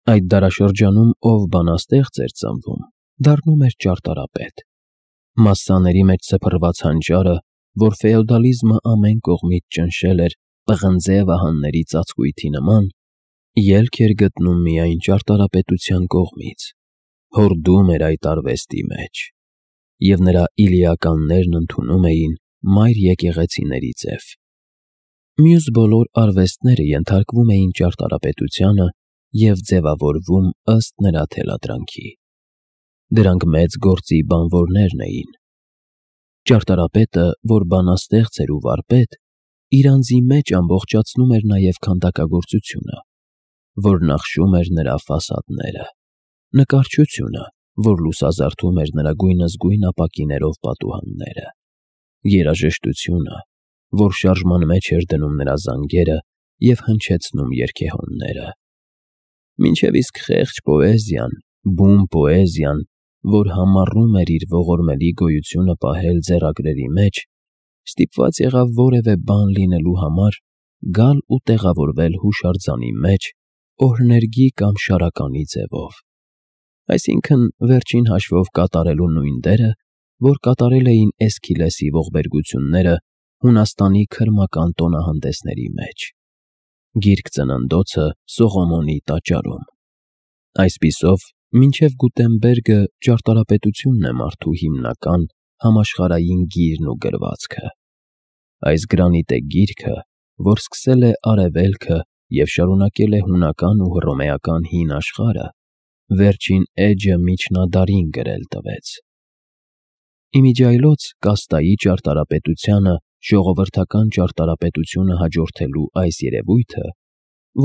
Այդ դարաշրջանում ով բանաստեղծ էր ծնվում, դառնում էր ճարտարապետ։ Մասսաների մեջ սփռված հանճարը, որ ֆեոդալիզմը ամեն կողմից ճնշել էր պղնձե վահանների ծածկույթի նման, ելք էր գտնում միայն ճարտարապետության կողմից, հորդում էր այդ արվեստի մեջ, և նրա իլիականներն ընդունում էին մայր եկեղեցիների ձև։ Մյուս բոլոր արվեստները ենթարկվում էին ճարտարապետությանը և ձևավորվում ըստ նրա թելադրանքի։ Դրանք մեծ գործի բանվորներն էին։ Ճարտարապետը, որ բանաստեղծ էր ու վարպետ, իր անձի մեջ ամբողջացնում էր նաև քանդակագործությունը, որ նախշում էր նրա ֆասադները, նկարչությունը, որ լուսազարդում էր նրա գույնզգույն ապակիներով պատուհանները, երաժշտությունը, որ շարժման մեջ էր դնում նրա զանգերը և հնչեցնում երգեհոնները, մինչև իսկ խեղճ պոեզիան, բուն պոեզիան, որ համառում էր իր ողորմելի գոյությունը պահել ձեռագրերի մեջ, ստիպված եղավ որևէ բան լինելու համար գալ ու տեղավորվել հուշարձանի մեջ օրհներգի կամ շարականի ձևով, այսինքն վերջին հաշվով կատարելու նույն դերը, որ կատարել էին Էսքիլեսի ողբերգությունները Հունաստանի քրմական տոնահանդեսների մեջ, Գիրք Ծննդոցը Սողոմոնի տաճարում։ Այսպիսով, մինչև Գուտենբերգը ճարտարապետությունն է մարդու հիմնական համաշխարհային գիրն ու գրվածքը։ Այս գրանիտե գիրքը, որ սկսել է Արևելքը և շարունակել է հունական ու հռոմեական հին աշխարհը, վերջին էջը միջնադարին գրել տվեց։ Իմիջիայլոց կաստայի ճարտարապետությանը ժողովրդական ճարտարապետությունը հաջորդելու այս երևույթը,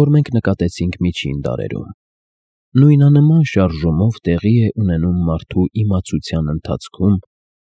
որ մենք նկատեցինք միջին դարերում, նույնանման շարժումով տեղի է ունենում մարդու իմացության ընթացքում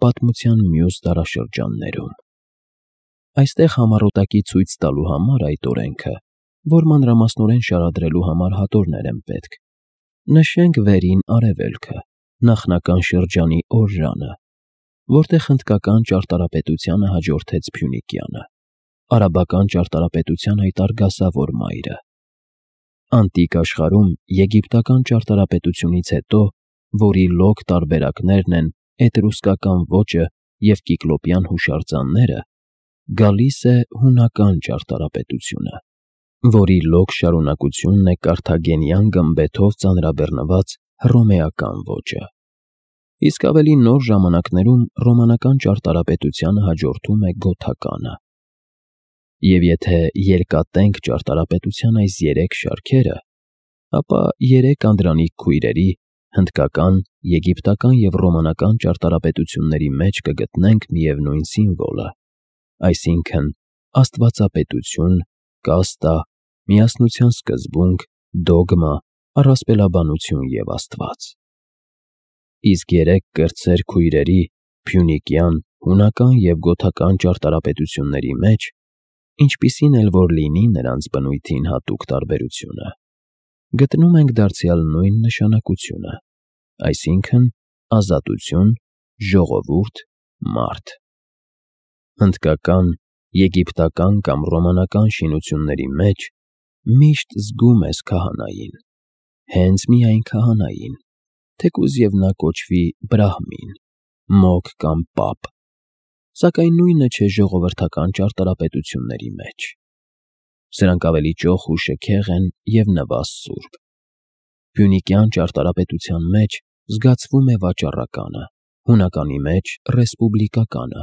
պատմության մյուս դարաշրջաններում։ Այստեղ համառոտակի ցույց տալու համար այդ օրենքը, որ մանրամասնորեն շարադրելու համար հատորներ են պետք, նշենք վերին Արևելքը, նախնական շրջանի օրժանը, որտեղ հնդկական ճարտարապետությանը հաջորդեց Փյունիկյանը, արաբական ճարտարապետության այդ արգասավոր մայրը։ Անտիկ աշխարհում եգիպտական ճարտարապետությունից հետո, որի լոկ տարբերակներն են էտրուսկական ոճը և կիկլոպյան հուշարձանները, գալիս է հունական ճարտարապետությունը, որի լոկ շարունակությունն է կարթագենյան գմբեթով ծանրաբեռնված հռոմեական ոճը։ Իսկ ավելի նոր ժամանակներում ռոմանական ճարտարապետությանը հաջորդում է գոթականը։ Եվ եթե երկատենք ճարտարապետության այս երեք շարքերը, ապա երեք անդրանիկ քույրերի՝ հնդկական, եգիպտական և ռոմանական ճարտարապետությունների մեջ կգտնենք միևնույն սիմվոլը, այսինքն աստվածապետություն, կաստա, միասնության սկզբունք, դոգմա, առասպելաբանություն և Աստված։ Իսկ երեք կրտսեր քույրերի՝ փյունիկյան, հունական և գոթական ճարտարապետությունների մեջ, ինչպիսին էլ որ լինի նրանց բնույթին հատուկ տարբերությունը, գտնում ենք դարձյալ նույն նշանակությունը, այսինքն ազատություն, ժողովուրդ, մարդ։ Հնդկական, եգիպտական կամ ռոմանական շինությունների մեջ միշտ զգում ես քահանային, հենց միայն քահանային, թեկուզ և նա կոչվի բրահմին, մոգ կամ պապ, սակայն նույնը չէ ժողովրդական ճարտարապետությունների մեջ։ Սրանք ավելի ճոխ ու շքեղ են և նվաստ-սուրբ։ Փյունիկյան ճարտարապետության մեջ զգացվում է վաճառականը, հունականի մեջ՝ ռեսպուբլիկականը,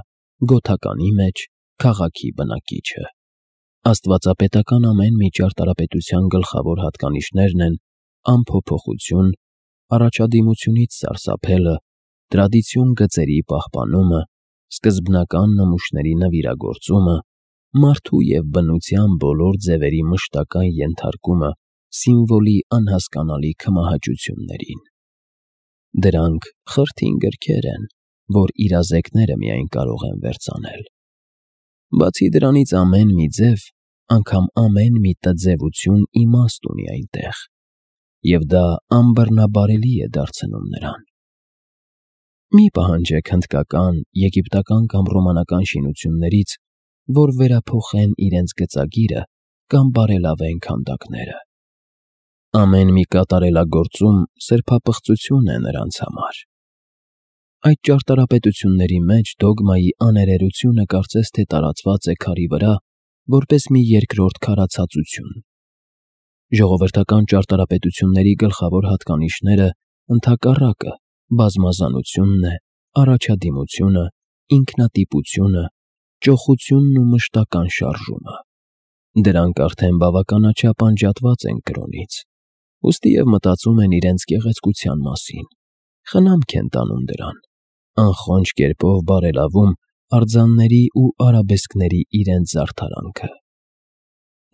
գոթականի մեջ՝ քաղաքի բնակիչը։ Աստվածապետական ամեն մի ճարտարապետության գլխավոր հատկանիշներն են անփոփոխություն, առաջադիմությունից սարսափելը, տրադիցիոն գծերի պահպանումը, սկզբնական նմուշների նվիրագործումը, մարդու և բնության բոլոր ձևերի մշտական ենթարկումը սիմվոլի անհասկանալի քմահաճություններին։ Դրանք խրթին գրքեր են, որ իրազեկները միայն կարող են վերծանել։ Բացի դրանից ամեն մի ձև, անգամ ամեն մի տձևություն իմաստ ունի այնտեղ, և դա անբռնաբարելի է դարձնում նրան։ Մի պահանջեք հնդկական, եգիպտական կամ ռոմանական շինություններից, որ վերափոխեն իրենց գծագիրը կամ բարելավեն քանդակները։ Ամեն մի կատարելագործում սրբապղծություն է նրանց համար։ Այդ ճարտարապետությունների մեջ դոգմայի աներերությունը կարծես թե տարածված է քարի վրա, որպես մի երկրորդ քարացածություն։ Ժողովրդական ճարտարապետությունների գլխավոր հատկանիշները ընդհակառակը բազմազանությունն է, առաջադիմությունը, ինքնատիպությունը, ճոխությունն ու մշտական շարժումը։ Դրանք արդեն բավականաչափ անջատված են կրոնից, ուստի և մտածում են իրենց գեղեցկության մասին, խնամք են տանում դրան, անխոնջ կերպով բարելավում արձանների ու արաբեսկների իրենց զարդարանքը։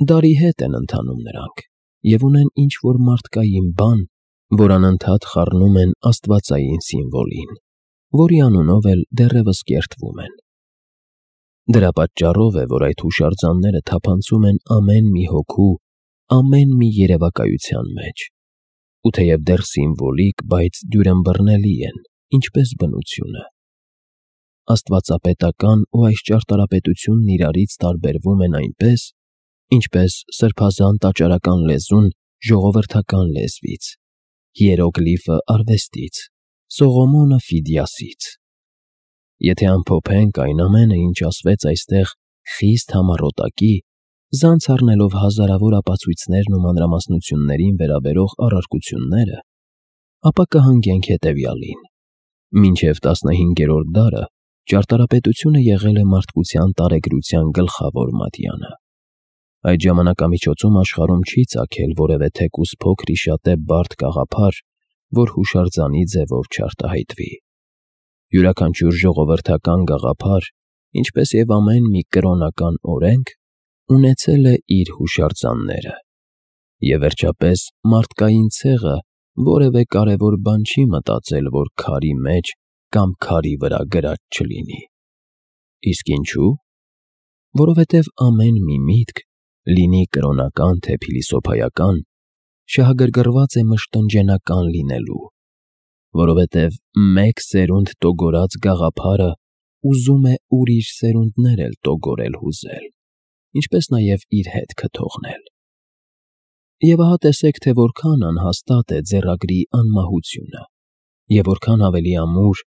Դարի հետ են ընթանում նրանք և ունեն ինչ-որ մարդկային բան, որ անընդհատ խառնում են աստվածային սիմվոլին, որի անունով էլ դեռևս կերտվում են։ Դրա պատճառով է, որ այդ հուշարձանները թափանցում են ամեն մի հոգու, ամեն մի երևակայության մեջ, ու թեև դեռ սիմվոլիկ, բայց դյուրըմբռնելի են, ինչպես բնությունը։ Աստվածապետական ու այս ճարտարապետությունն իրարից տարբերվում են այնպես, ինչպես սրբազան տաճարական լեզուն ժողովրդական լեզվից, հիերոգլիֆը արվեստից, Սողոմոնը Ֆիդիասից։ Եթե ամփոփենք այն ամենը, ինչ ասվեց այստեղ խիստ համառոտակի, զանց առնելով հազարավոր ապացույցներն ու մանրամասնություններին վերաբերող առարկությունները, ապա կհանգենք հետևյալին. մինչև 15-րդ դարը ճարտարապետությունը եղել է մարդկության տարեգրության գլխավոր մատյանը։ Այդ ժամանակամիջոցում աշխարհում չի ծագել որևէ թեկուզ փոքր-ի-շատե բարդ գաղափար, որ հուշարձանի ձևով չարտահայտվի։ Յուրաքանչյուր ժողովրդական գաղափար, ինչպես և ամեն մի կրոնական օրենք, ունեցել է իր հուշարձանները։ Եվ վերջապես մարդկային ցեղը որևէ կարևոր բան չի մտածել, որ քարի մեջ կամ քարի վրա գրած չլինի։ Իսկ ինչու՞։ Որովհետև ամեն մի միտք, լինի կրոնական թե փիլիսոփայական, շահագրգռված է մշտնջենական լինելու, որովհետև մեկ սերունդ տոգորած գաղափարը ուզում է ուրիշ սերունդներ էլ տոգորել հուզել, ինչպես նաև իր հետքը թողնել։ Եվ ահա տեսեք, թե որքան անհաստատ է ձեռագրի անմահությունը, և որքան ավելի ամուր,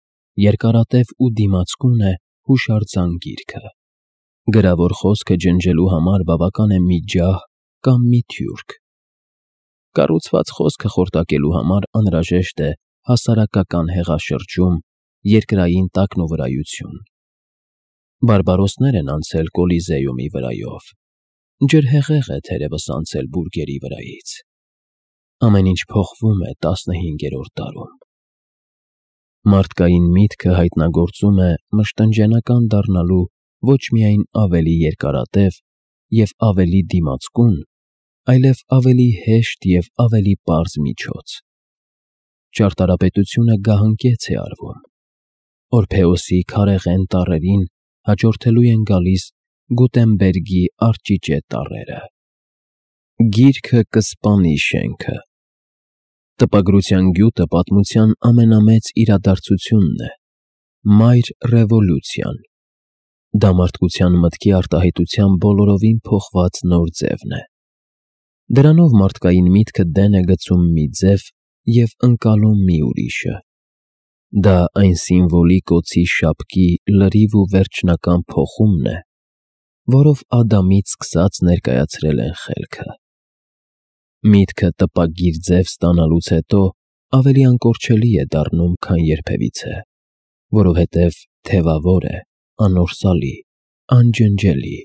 երկարատև ու դիմացկուն է հուշարձան գիրքը։ Գրավոր խոսքը ջնջելու համար բավական է մի ջահ կամ մի թուրք։ Կառուցված խոսքը խորտակելու համար անհրաժեշտ է հասարակական հեղաշրջում, երկրային տակնուվրայություն։ Բարբարոսներ են անցել Կոլիզեումի վրայով, ջրհեղեղ է թերևս անցել բուրգերի վրայից։ Ամեն ինչ փոխվում է 15-րդ դարում։ Մարդկային միտքը հայտնագործում է մշտնջենական դառնալու ոչ միայն ավելի երկարատև և ավելի դիմացկուն, այլև ավելի հեշտ և ավելի պարզ միջոց։ Ճարտարապետությունը գահընկեց է արվում։ Օրփեոսի քարեղեն տառերին հաջորդելու են գալիս Գուտենբերգի արճիճե տառերը։ Գիրքը կսպանի շենքը։ Տպագրության գյուտը պատմության ամենամեծ իրադարձությունն է, մայր ռևոլյուցիան։ Դա մարդկության մտքի արտահայտության բոլորովին փոխված նոր ձևն է։ Դրանով մարդկային միտքը դեն է գցում մի ձև և ընկալում մի ուրիշը։ Դա այն սիմվոլիկ օձի շապկի լրիվ ու վերջնական փոխումն է, որով Ադամից սկսած ներկայացրել են խելքը։ Միտքը տպագիր ձև ստանալուց հետո ավելի անկորչելի է դառնում, քան երբևիցե, որովհետև թևավոր է, անորսալի, անջնջելի։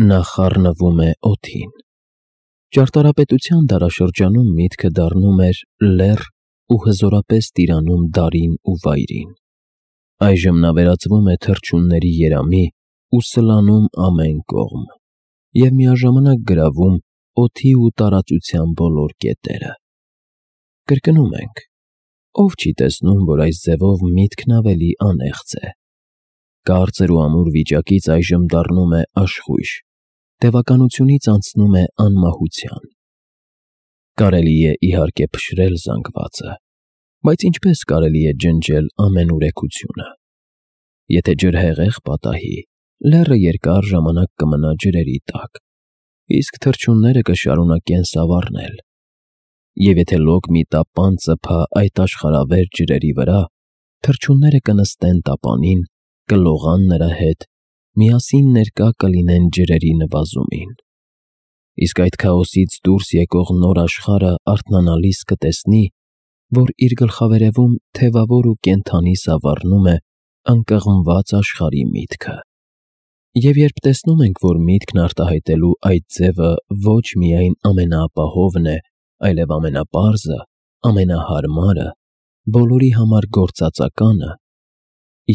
Նա խառնվում է օդին։ Ճարտարապետության դարաշրջանում միտքը դառնում էր լեռ ու հզորապես տիրանում դարին ու վայրին։ Այժմ նա վերածվում է թռչունների երամի ու սլանում ամեն կողմ և միաժամանակ գրավում օդի ու տարածության բոլոր կետերը։ Կրկնում ենք. ով չի տեսնում, որ այս ձևով միտքն ավելի անեղծ է։ Կարծր ու ամուր վիճակից այժմ դառնում է աշխույժ, տևականությունից անցնում է անմահության։ Կարելի է իհարկե փշրել զանգվածը, բայց ինչպես կարելի է ջնջել ամենուրեքությունը։ Եթե ջրհեղեղ պատահի, լեռը երկար ժամանակ կմնա ջրերի տակ, իսկ թռչունները կշարունակեն սավառնել, Եվ եթե լոկ մի տապան ծփա այդ աշխարհավեր ջրերի վրա, թռչունները կնստեն տապանին, կլողան նրա հետ, միասին ներկա կլինեն ջրերի նվազումին։ Իսկ այդ քաոսից դուրս եկող նոր աշխարհը արթնանալիս կտեսնի, որ իր գլխավերևում թևավոր ու կենդանի սավառնում է անկղմված աշխարհի միտքը։ Եվ երբ տեսնում ենք, որ միտքն արտահայտելու այդ ձևը ոչ միայն ամենաապահովն է, այլև ամենապարզը, ամենահարմարը, բոլորի համար գործածականը,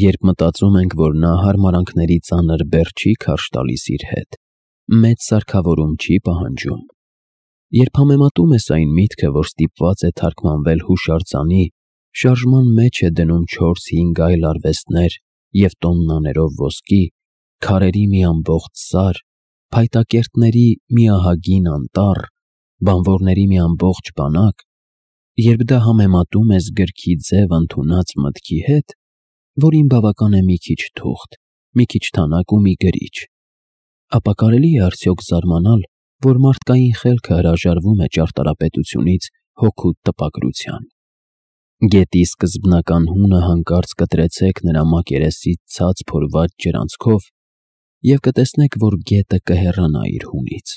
երբ մտածում ենք, որ նա հարմարանքների ծանր բեռ չի քարշ տալիս իր հետ, մեծ սարքավորում չի պահանջում, երբ համեմատում ես այն միտքը, որ ստիպված է թարգմանվել հուշարձանի, շարժման մեջ է դնում 4-5 այլ արվեստներ և տոննաներով ոսկի, քարերի մի ամբողջ սար, փայտակերտների մի ահագին անտառ, բանվորների մի ամբողջ բանակ, երբ դա համեմատում ես գրքի ձև ընդունած մտքի հետ, որին բավական է մի քիչ թուղթ, մի քիչ թանակ ու մի գրիչ, ապա կարելի է արդյոք զարմանալ, որ մարդկային խելքը հրաժարվում է ճարտարապետությունից հօգուտ տպագրության։ Գետի սկզբնական հունը հանկարծ կտրեցեք նրա մակերեսից ցած փորված ջրանցքով և կտեսնեք, որ գետը կհեռանա իր հունից։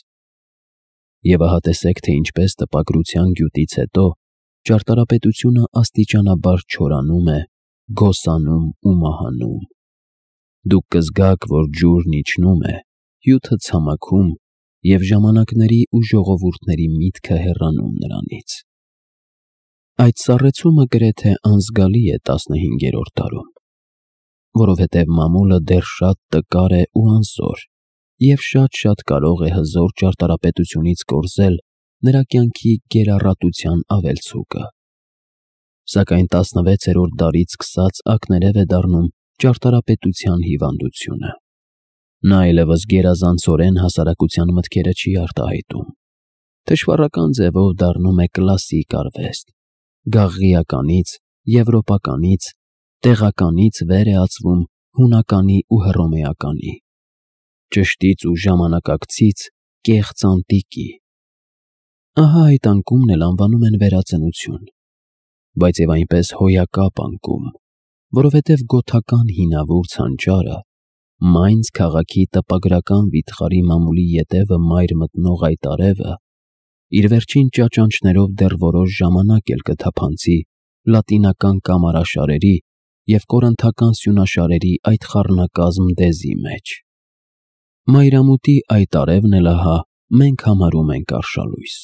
Եվ ահա տեսեք, թե ինչպես տպագրության գյուտից հետո ճարտարապետությունը աստիճանաբար չորանում է, գոսանում ու մահանում։ Դուք կզգաք, որ ջուրն իջնում է, հյութը ցամաքում և ժամանակների ու ժողովուրդների միտքը հեռանում նրանից։ Այդ սառեցումը գրեթե անզգալի է 15-րդ դարում, որովհետև մամուլը դեռ շատ տկար է ու անզոր և շատ կարող է հզոր ճարտարապետությունից կորզել նրա կյանքի գերառատության ավելցուկը։ Սակայն 16-րդ դարից սկսած ակներև է դառնում ճարտարապետության հիվանդությունը։ Նա այլևս գերազանցորեն հասարակության մտքերը չի արտահայտում, թշվառական ձևով դառնում է կլասիկ արվեստ, գաղղիականից, եվրոպականից, տեղականից վեր է ածվում հունականի ու հռոմեականի, ճշտից ու ժամանակակցից կեղծ անտիկի։ Ահա այդ անկումն էլ անվանում են վերածնություն, բայց և այնպես հոյակապ անկում, որովհետև գոթական հինավուրց հանճարը, Մայնց քաղաքի տպագրական վիթխարի մամուլի ետևը մայր մտնող այդ արևը, իր վերջին ճաճանճներով դեռ որոշ ժամանակ էլ կթափանցի լատինական կամարաշարերի և կորինթական սյունաշարերի այդ խառնակազմ դեզի մեջ։ Մայրամուտի այդ արևն էլ ահա մենք համարում ենք արշալույս։